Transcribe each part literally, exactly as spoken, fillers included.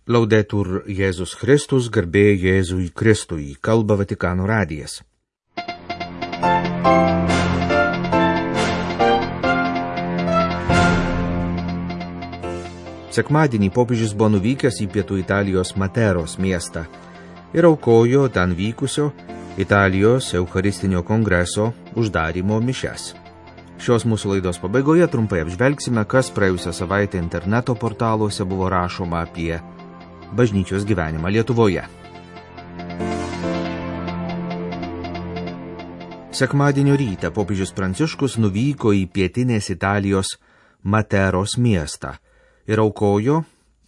Laudetur Jėzus Kristus, garbė Jėzui Kristui, kalba Vatikano radijas. Sekmadienį popiežius buvo nuvykęs į pietų Italijos Materos miestą ir aukojo ten vykusio Italijos Eucharistinio kongreso uždarymo mišias. Šios mūsų laidos pabaigoje trumpai apžvelgsime, kas praėjusią savaitę interneto portaluose buvo rašoma apie bažnyčios gyvenimą Lietuvoje. Sekmadienio rytą popiežius Pranciškus nuvyko į pietinės Italijos Materos miestą ir aukojo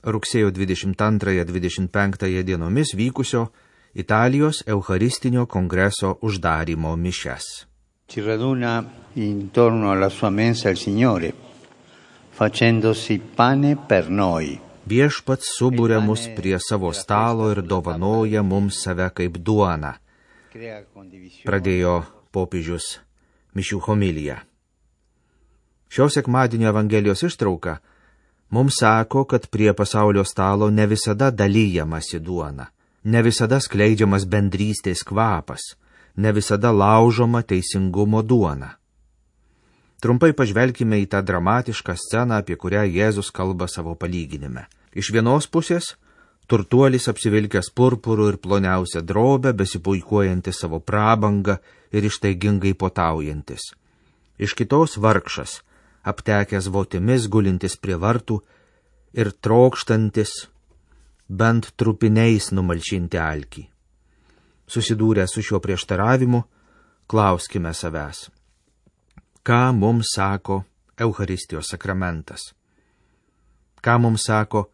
rugsėjo dvidešimt antrąją - dvidešimt penktąją dienomis vykusio Italijos Eucharistinio kongreso uždarymo mišias. Ci raduna intorno alla sua mensa il Signore, facendosi pane per noi. Viešpats subūrė mus prie savo stalo ir dovanoja mums save kaip duoną, pradėjo popiežius mišių homiliją. Šio sekmadienio Evangelijos ištrauka mums sako, kad prie pasaulio stalo ne visada dalyjamasi duona, ne visada skleidžiamas bendrystės kvapas, ne visada laužoma teisingumo duona. Trumpai pažvelkime į tą dramatišką sceną, apie kurią Jėzus kalba savo palyginime. Iš vienos pusės turtuolis apsivilkęs purpuru ir ploniausią drobę, besipuikuojantis savo prabangą ir ištaigingai potaujantis. Iš kitos vargšas, aptekęs votimis, gulintis prie vartų ir trokštantis bent trupiniais numalšinti alkį. Susidūrę su šiuo prieštaravimu, klauskime savęs, ką mums sako Eucharistijos sakramentas? Ką mums sako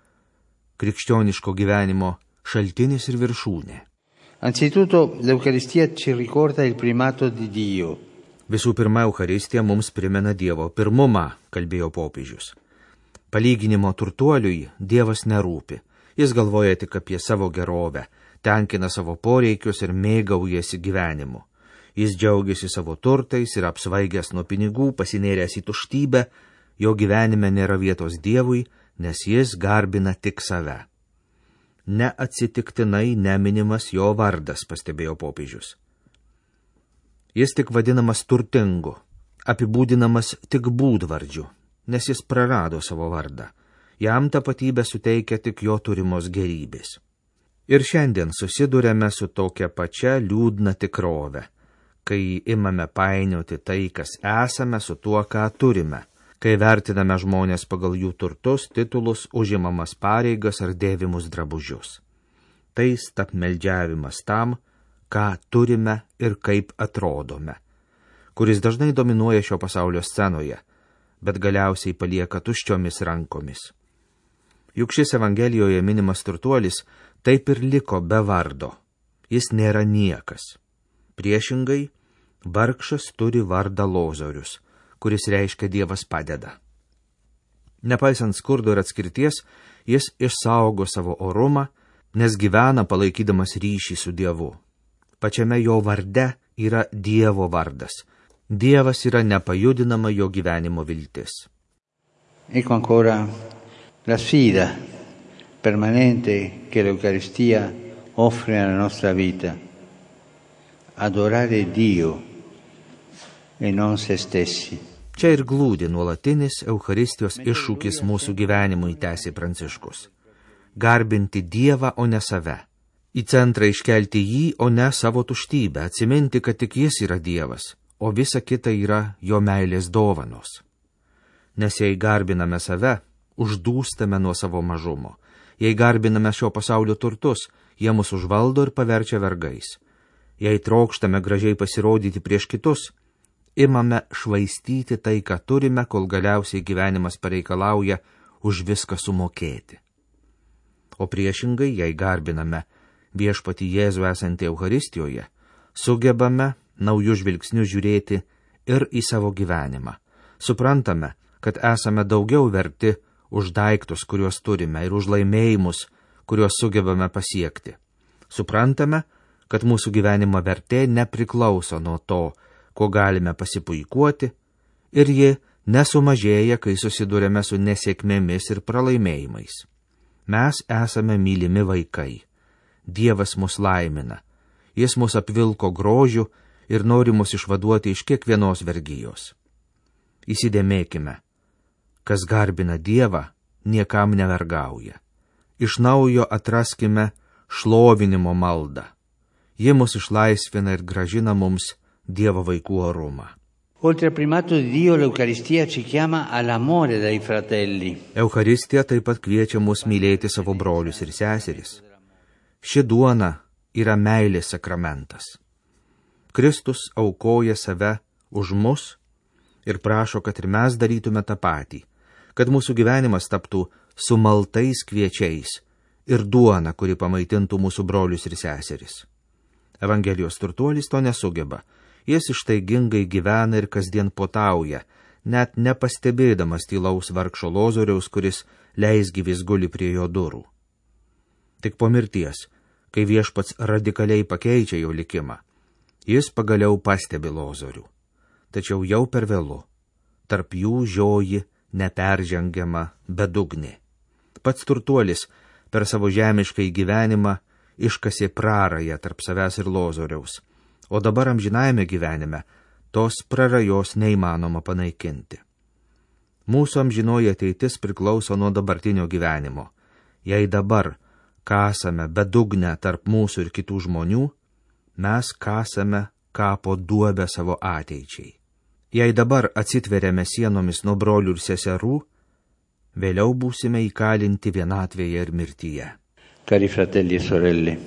krikščioniško gyvenimo šaltinis ir viršūnė? Anzitutto, l'Eucaristia ci ricorda il primato di Dio. Visų pirma, Eucharistija mums primena Dievo pirmumą, kalbėjo popiežius. Palyginimo turtuoliui Dievas nerūpi. Jis galvoja tik apie savo gerovę, tenkina savo poreikius ir mėgaujasi gyvenimu. Jis džiaugiasi savo turtais ir apsvaigęs nuo pinigų, pasinėręs į tuštybę, jo gyvenime nėra vietos Dievui, nes jis garbina tik save. Neatsitiktinai neminimas jo vardas, pastebėjo popiežius. Jis tik vadinamas turtingu, apibūdinamas tik būdvardžiu, nes jis prarado savo vardą. Jam tapatybę suteikia tik jo turimos gerybės. Ir šiandien susidurėme su tokia pačia liūdna tikrove, kai imame painioti tai, kas esame, su tuo, ką turime, kai vertiname žmonės pagal jų turtus, titulus, užimamas pareigas ar dėvimus drabužius. Tai stapmeldžiavimas tam, ką turime ir kaip atrodome, kuris dažnai dominuoja šio pasaulio scenoje, bet galiausiai palieka tuščiomis rankomis. Juk šis Evangelijoje minimas turtuolis taip ir liko be vardo. Jis nėra niekas. Priešingai, vargšas turi vardą Lozorius, kuris reiškia Dievas padeda. Nepaisant skurdo ir atskirties, jis išsaugo savo orumą, nes gyvena palaikydamas ryšį su Dievu. Pačiame jo varde yra Dievo vardas. Dievas yra nepajudinama jo gyvenimo viltis. Ecco ancora la sfida permanente che l'Eucaristia offre alla nostra vita. Adorare Dio e non se stessi. Čia ir glūdi nuolatinis Eucharistijos iššūkis mūsų gyvenimui, tęsė Pranciškus. Garbinti Dievą, o ne save. Į centrą iškelti jį, o ne savo tuštybę, atsiminti, kad tik jis yra Dievas, o visa kita yra jo meilės dovanos. Nes jei garbiname save, uždūstame nuo savo mažumo. Jei garbiname šio pasaulio turtus, jie mus užvaldo ir paverčia vergais. Jei trokštame gražiai pasirodyti prieš kitus, imame švaistyti tai, ką turime, kol galiausiai gyvenimas pareikalauja už viską sumokėti. O priešingai, jei garbiname viešpatį Jėzų esantį Eucharistijoje, sugebame naujų žvilgsnių žiūrėti ir į savo gyvenimą. Suprantame, kad esame daugiau verti už daiktus, kuriuos turime, ir už laimėjimus, kuriuos sugebame pasiekti. Suprantame, kad mūsų gyvenimo vertė nepriklauso nuo to, kuo galime pasipuikuoti, ir ji nesumažėja, kai susidurėme su nesėkmėmis ir pralaimėjimais. Mes esame mylimi vaikai. Dievas mus laimina. Jis mus apvilko grožiu ir nori mus išvaduoti iš kiekvienos vergijos. Įsidėmėkime, kas garbina Dievą, niekam nevergauja. Iš naujo atraskime šlovinimo maldą. Ji mus išlaisvina ir gražina mums Dievo vaikų orumą. Oltre al primato di Dio, l'Eucaristia ci chiama all'amore dai fratelli. Eucharistija taip pat kviečia mus mylėti savo brolius ir seseris. Ši duona yra meilės sakramentas. Kristus aukoja save už mus ir prašo, kad ir mes darytume tą patį, kad mūsų gyvenimas taptų sumaltais kviečiais ir duona, kuri pamaitintų mūsų brolius ir seseris. Evangelijos turtuolis to nesugeba. Jis ištaigingai gyvena ir kasdien potauja, net nepastebėdamas tylaus vargšo Lozoriaus, kuris leisgyvis guli prie jo durų. Tik po mirties, kai Viešpats radikaliai pakeičia jo likimą, jis pagaliau pastebi Lozorių. Tačiau jau per vėlu, tarp jų žioji neperžengiama bedugnė. Pats turtuolis per savo žemiškai gyvenimą iškasė prarają tarp savęs ir Lozoriaus, o dabar amžinajame gyvenime tos prarajos neįmanoma panaikinti. Mūsų amžinoji ateitis priklauso nuo dabartinio gyvenimo. Jei dabar kasame bedugnę tarp mūsų ir kitų žmonių, mes kasame kapo duobę savo ateičiai. Jei dabar atsitveriame sienomis nuo brolių ir seserų, vėliau būsime įkalinti vienatvėje ir mirtyje. Cari fratelli e sorelle,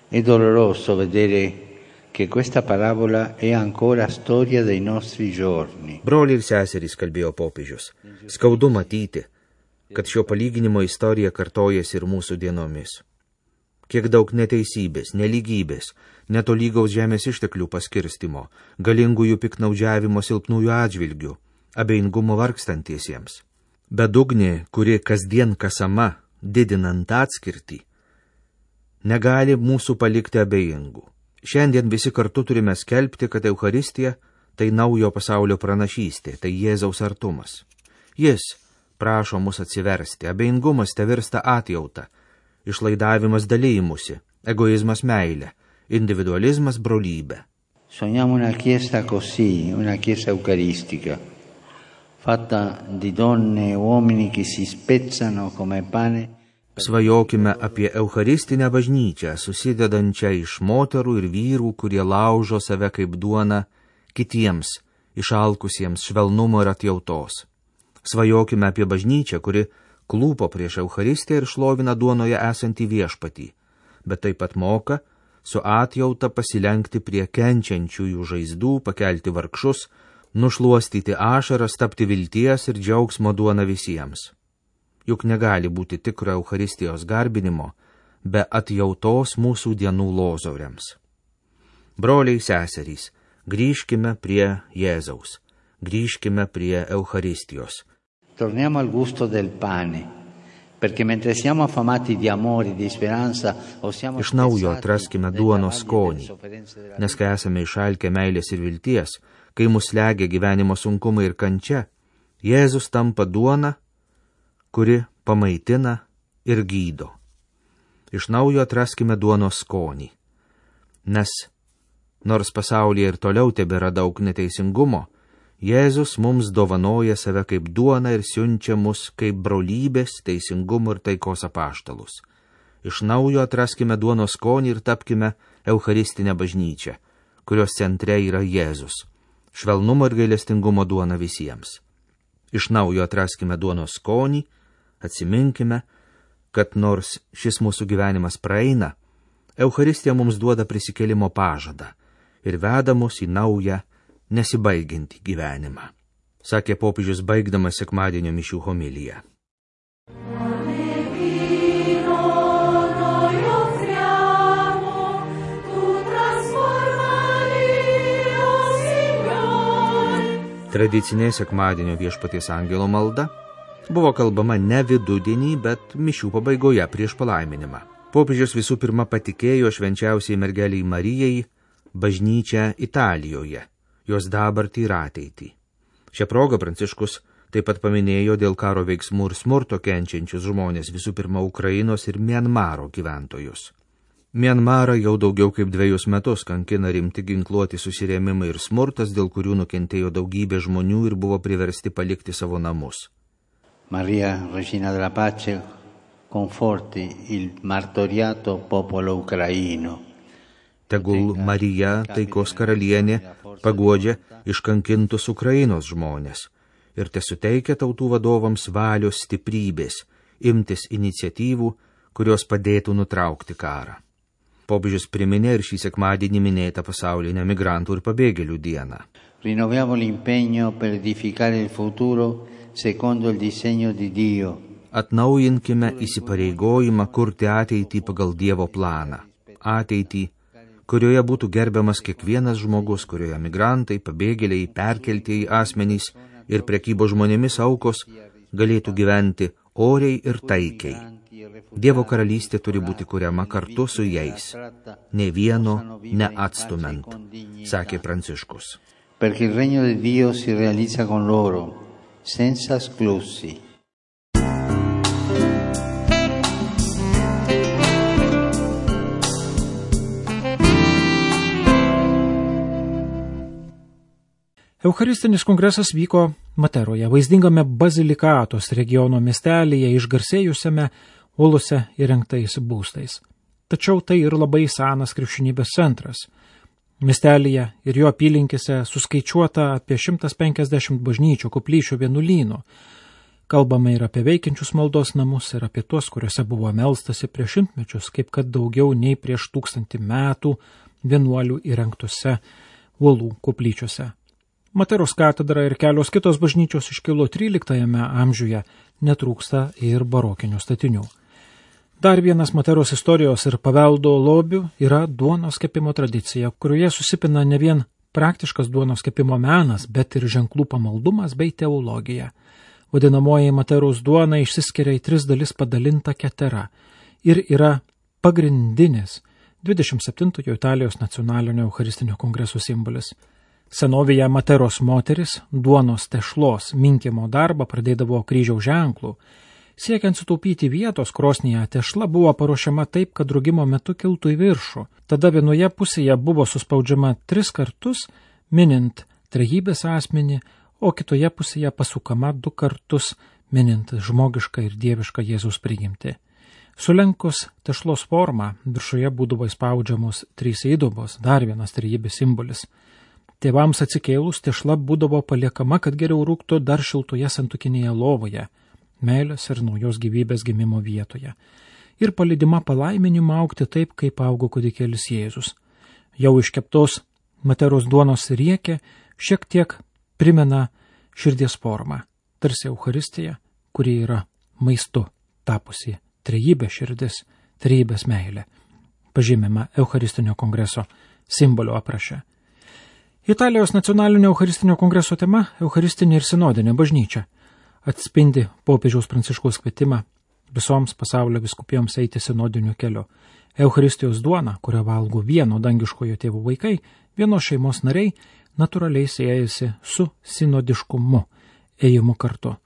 è doloroso vedere che questa parabola è ancora storia dei nostri giorni. Broliai ir seserys, kalbėjo popiežius, skaudu matyti, kad šio palyginimo istorija kartojasi ir mūsų dienomis. Kiek daug neteisybės, nelygybės, netolygaus žemės išteklių paskirstimo, galingųjų piknaudžiavimo silpnųjų atžvilgių, abejingumo vargstantiesiems. Bedugnė, kuri kasdien kasama, didinant atskirtį, negali mūsų palikti abejingų. Šiandien visi kartu turime skelbti, kad Eucharistija tai naujo pasaulio pranašystė, tai Jėzaus artumas. Jis prašo mus atsiversti, abejingumas te virsta atjauta, išlaidavimas dalymusi, egoizmas meilė, individualizmas brolybė. Sogniamo una chiesa così, una chiesa eucaristica, fatta di donne e uomini che si spezzano come pane. Svajokime apie eucharistinę bažnyčią, susidedančią iš moterų ir vyrų, kurie laužo save kaip duona kitiems, išalkusiems švelnumo ir atjautos. Svajokime apie bažnyčią, kuri klūpo prieš Eucharistiją ir šlovina duonoje esantį Viešpatį, bet taip pat moka su atjauta pasilenkti prie kenčiančiųjų žaizdų, pakelti vargšus, nušluostyti ašaras, tapti vilties ir džiaugsmo duona visiems. Juk negali būti tikro Eucharistijos garbinimo be atjautos mūsų dienų lozoriams. Broliai seserys, grįžkime prie Jėzaus, grįžkime prie Eucharistijos. Torniamo al gusto del pane, perché mentre siamo affamati di amore, di speranza, o siamo Iš naujo atraskime duonos skonį, nes kai esame išalkę meilės ir vilties, kai mus slegia gyvenimo sunkumai ir kančia, Jėzus tampa duona, kuri pamaitina ir gydo. Iš naujo atraskime duonos skonį, nes nors pasaulyje ir toliau tebėra daug neteisingumo, Jėzus mums dovanoja save kaip duona ir siunčia mus kaip brolybės, teisingumo ir taikos apaštalus. Iš naujo atraskime duonos skonį ir tapkime Eucharistinę bažnyčią, kurios centre yra Jėzus, švelnumo ir gailestingumo duona visiems. Iš naujo atraskime duonos skonį, atsiminkime, kad nors šis mūsų gyvenimas praeina, Eucharistija mums duoda prisikėlimo pažadą ir veda mus į naują, nesibaigiantį gyvenimą, sakė popiežius baigdamas sekmadienio mišių homiliją. Tradicinė sekmadienio Viešpaties angelo malda buvo kalbama ne vidudienį, bet mišių pabaigoje prieš palaiminimą. Popiežius visų pirma patikėjo švenčiausiai mergeliai Marijai bažnyčią Italijoje, jos dabartį ir ateitį. Šią progą Pranciškus Taip pat paminėjo dėl karo veiksmų ir smurto kenčiančius žmonės, visų pirma Ukrainos ir Mianmaro gyventojus. Mianmarą jau daugiau kaip dviejus metus kankina rimti ginkluoti susirėmimai ir smurtas, dėl kurių nukentėjo daugybė žmonių ir buvo priversti palikti savo namus. Maria, Regina della Pace, conforti il martoriato popolo ucraino. Tegul Marija, taikos karalienė, paguodžia iškankintus Ukrainos žmonės ir tesuteikia tautų vadovams valios stiprybės, imtis iniciatyvų, kurios padėtų nutraukti karą. Popiežius priminė ir šį sekmadienį minėtą pasaulinę migrantų ir pabėgėlių dieną. Rinnoviamo l'impegno per edificare il futuro secondo il disegno di Dio. Atnaujinkime įsipareigojimą kurti ateitį pagal Dievo planą. Ateitį, kurioje būtų gerbiamas kiekvienas žmogus, kurioje migrantai, pabėgėliai, perkeltieji asmenys ir prekybo žmonėmis aukos galėtų gyventi oriai ir taikiai. Dievo karalystė turi būti kuriama kartu su jais, ne vieno neatstumant, sakė Pranciškus. Perché il regno di Dio si realizza con loro, senza esclusi. Eucharistinis kongresas vyko Materoje, vaizdingame Bazilikatos regiono miestelyje išgarsėjusiame uolose įrengtais būstais. Tačiau tai ir labai senas krikščionybės centras. Miestelyje ir jo apylinkėse suskaičiuota apie šimtas penkiasdešimt bažnyčių, koplyčių, vienuolynų. Kalbama ir apie veikiančius maldos namus, ir apie tuos, kuriuose buvo melstasi prieš šimtmečius, kaip kad daugiau nei prieš tūkstantį metų vienuolių įrengtose uolų koplyčiose. Materos katedra ir kelios kitos bažnyčios iškilo tryliktajame amžiuje, netrūksta ir barokinių statinių. Dar vienas Materos istorijos ir paveldo lobių yra duonos kepimo tradicija, kurioje susipina ne vien praktiškas duonos kepimo menas, bet ir ženklų pamaldumas bei teologija. Vadinamoji Materos duona išsiskiria į tris dalis padalinta ketera ir yra pagrindinis dvidešimt septintojo Italijos nacionalinio eucharistinio kongreso simbolis. Senovėje Materos moteris duonos tešlos minkimo darbą pradėdavo kryžiaus ženklų. Siekiant sutaupyti vietos krosnyje, tešla buvo paruošiama taip, kad rūgimo metu kiltų į viršų. Tada vienoje pusėje buvo suspaudžiama tris kartus, minint trejybės asmenį, o kitoje pusėje pasukama du kartus, minint žmogišką ir dievišką Jėzaus prigimtį. Sulenkus tešlos formą, viršuje būdavo įspaudžiamos trys įdubos, dar vienas trejybės simbolis. Tėvams atsikėlus tešla būdavo paliekama, kad geriau rūktų dar šiltoje santuokinėje lovoje, meilės ir naujos gyvybės gimimo vietoje, ir palydima palaiminimą augti taip, kaip augo kūdikėlis Jėzus. Jau iškeptos Materos duonos riekė šiek tiek primena širdies formą, tarsi Eucharistija, kuri yra maistu tapusi trejybė širdis, trejybės meilė, pažymima Eucharistinio kongreso simbolio apraše. Italijos nacionalinio Eucharistinio kongreso tema – Eucharistinė ir sinodinė bažnyčia atspindi popiežiaus Pranciškaus kvietimą visoms pasaulio vyskupijoms eiti sinodiniu keliu. Eucharistijos duona, kurią valgo vieno dangiškojo tėvų vaikai, vienos šeimos nariai, natūraliai siejasi su sinodiškumu, ėjimu kartu.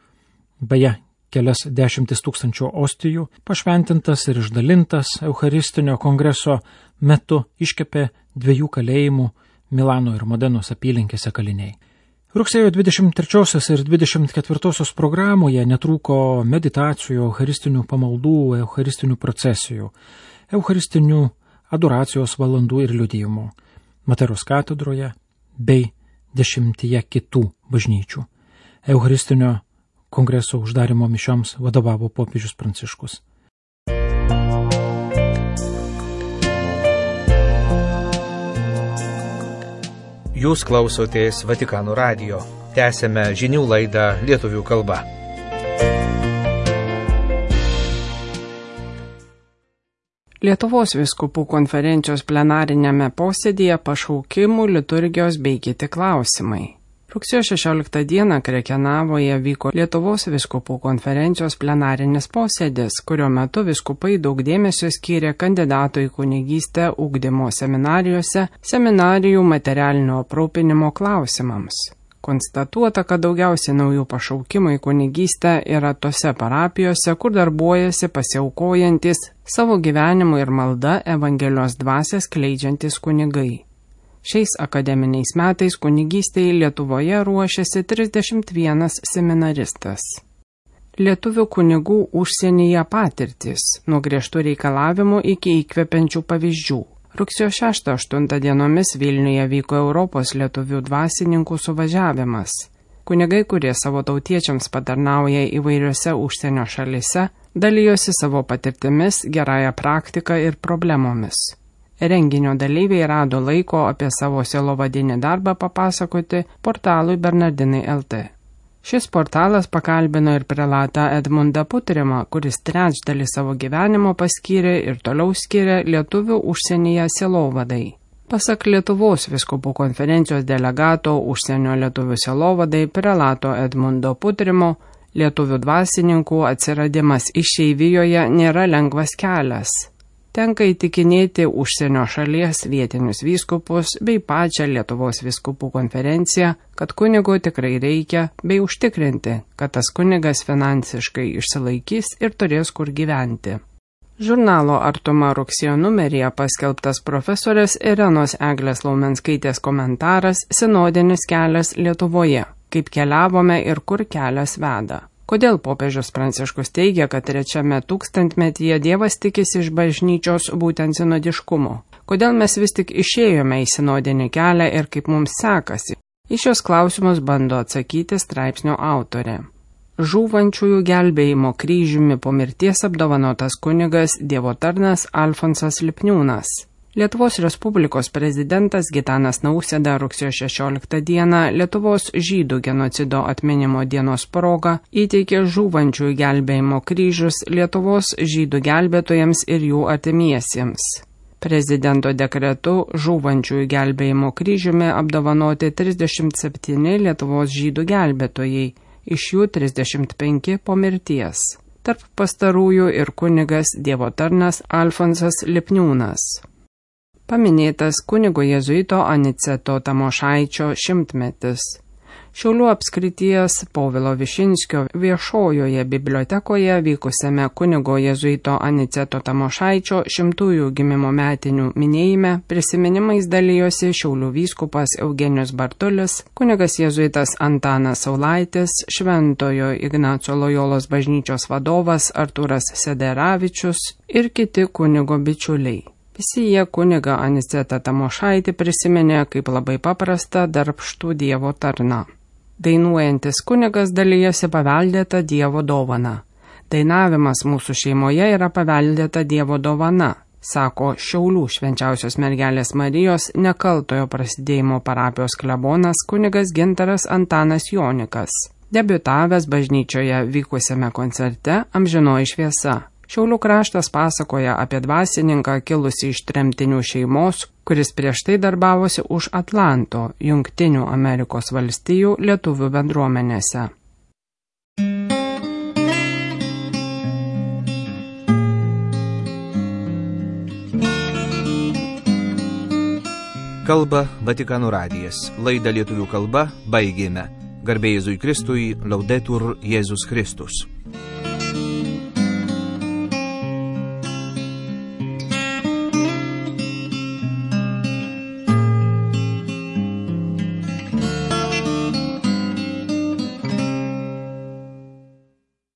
Beje, kelias dešimtis tūkstančių ostijų, pašventintas ir išdalintas Eucharistinio kongreso metu iškepė dviejų kalėjimų Milano ir Modenos apylinkėse kaliniai. Rugsėjo dvidešimt trečiosios ir dvidešimt ketvirtosios programoje netrūko meditacijų, eucharistinių pamaldų, eucharistinių procesijų, eucharistinių adoracijos valandų ir liudijimų Materos katedroje bei dešimtyje kitų bažnyčių. Eucharistinio kongreso uždarimo mišioms vadovavo popiežius Pranciškus. Jūs klausotės Vatikano radijo. Tęsėme žinių laidą lietuvių kalba. Lietuvos vyskupų konferencijos plenariniame posėdyje pašaukimų, liturgijos bei kiti klausimai. Rugsėjo šešioliktą dieną Krekenavoje vyko Lietuvos vyskupų konferencijos plenarinis posėdis, kurio metu vyskupai daug dėmesio skyrė kandidatų į kunigystę ugdymo seminarijose, seminarijų materialinio aprūpinimo klausimams. Konstatuota, kad daugiausiai naujų pašaukimų į kunigystę yra tose parapijose, kur darbuojasi pasiaukojantis savo gyvenimu ir malda Evangelijos dvasią skleidžiantis kunigai. Šiais akademiniais metais kunigystėje Lietuvoje ruošiasi trisdešimt vienas seminaristas. Lietuvių kunigų užsienyje patirtis, nuo griežtų reikalavimų iki įkvepiančių pavyzdžių. Rugsėjo šeštą aštuntą dienomis Vilniuje vyko Europos lietuvių dvasininkų suvažiavimas. Kunigai, kurie savo tautiečiams patarnauja įvairiose užsienio šalise, dalijosi savo patirtimis, gerąją praktiką ir problemomis. Renginio dalyviai rado laiko apie savo sielovadinį darbą papasakoti portalui Bernardinai L T. Šis portalas pakalbino ir prelatą Edmundą Putrimą, kuris trečdalį savo gyvenimo paskyrė ir toliau skiria lietuvių užsienyje sielovadai. Pasak Lietuvos vyskupų konferencijos delegato užsienio lietuvių sielovadai prelato Edmundo Putrimo, lietuvių dvasininkų atsiradimas išeivijoje nėra lengvas kelias. Tenka įtikinėti užsienio šalies vietinius vyskupus bei pačią Lietuvos vyskupų konferenciją, kad kunigo tikrai reikia, bei užtikrinti, kad tas kunigas finansiškai išsilaikys ir turės kur gyventi. Žurnalo Artuma rugsėjo numeryje paskelbtas profesorės Irenos Eglės Laumenskaitės komentaras Sinodinis kelias Lietuvoje, kaip keliavome ir kur kelias veda. Kodėl popiežius Pranciškus teigia, kad trečiame tūkstantmetyje Dievas tikisi iš bažnyčios būtent sinodiškumo? Kodėl mes vis tik išėjome į sinodinį kelią ir kaip mums sekasi? Į šios klausimus bando atsakyti straipsnio autorė. Žūvančiųjų gelbėjimo kryžiumi po mirties apdovanotas kunigas Dievo tarnas Alfonsas Lipniūnas. Lietuvos Respublikos prezidentas Gitanas Nausėda rugsėjo šešioliktą dieną Lietuvos žydų genocido atminimo dienos proga įteikė žūvančiųjų gelbėjimo kryžius Lietuvos žydų gelbėtojams ir jų artimiesiems. Prezidento dekretu žūvančiųjų gelbėjimo kryžiumi apdovanoti trisdešimt septyni Lietuvos žydų gelbėtojai, iš jų trisdešimt penki po mirties. Tarp pastarųjų ir kunigas Dievo tarnas Alfonsas Lipniūnas. Paminėtas kunigo jėzuito Aniceto Tamošaičio šimtmetis. Šiaulių apskrities Povilo Višinskio viešojoje bibliotekoje vykusiame kunigo jėzuito Aniceto Tamošaičio šimtųjų gimimo metinių minėjime prisiminimais dalijosi Šiaulių vyskupas Eugenijus Bartulis, kunigas jėzuitas Antanas Saulaitis, Šventojo Ignaco Lojolos bažnyčios vadovas Artūras Sederavičius ir kiti kunigo bičiuliai. Visi jie kunigą Anicetą Tamošaitį prisiminė kaip labai paprastą darbštų Dievo tarną. Dainuojantis kunigas dalijasi paveldėta Dievo dovana. Dainavimas mūsų šeimoje yra paveldėta Dievo dovana, sako Šiaulių Švenčiausios Mergelės Marijos nekaltojo prasidėjimo parapijos klebonas kunigas Gintaras Antanas Jonikas, debiutavęs bažnyčioje vykusiame koncerte Amžinoji šviesa. Šiaulių kraštas pasakoja apie dvasininką kilusį iš tremtinių šeimos, kuris prieš tai darbavosi už Atlanto, Jungtinių Amerikos valstijų lietuvių bendruomenėse. Kalba Vatikano radijas. Laidą lietuvių kalba baigėme. Garbė Jėzui Kristui, Laudetur Jėzus Kristus.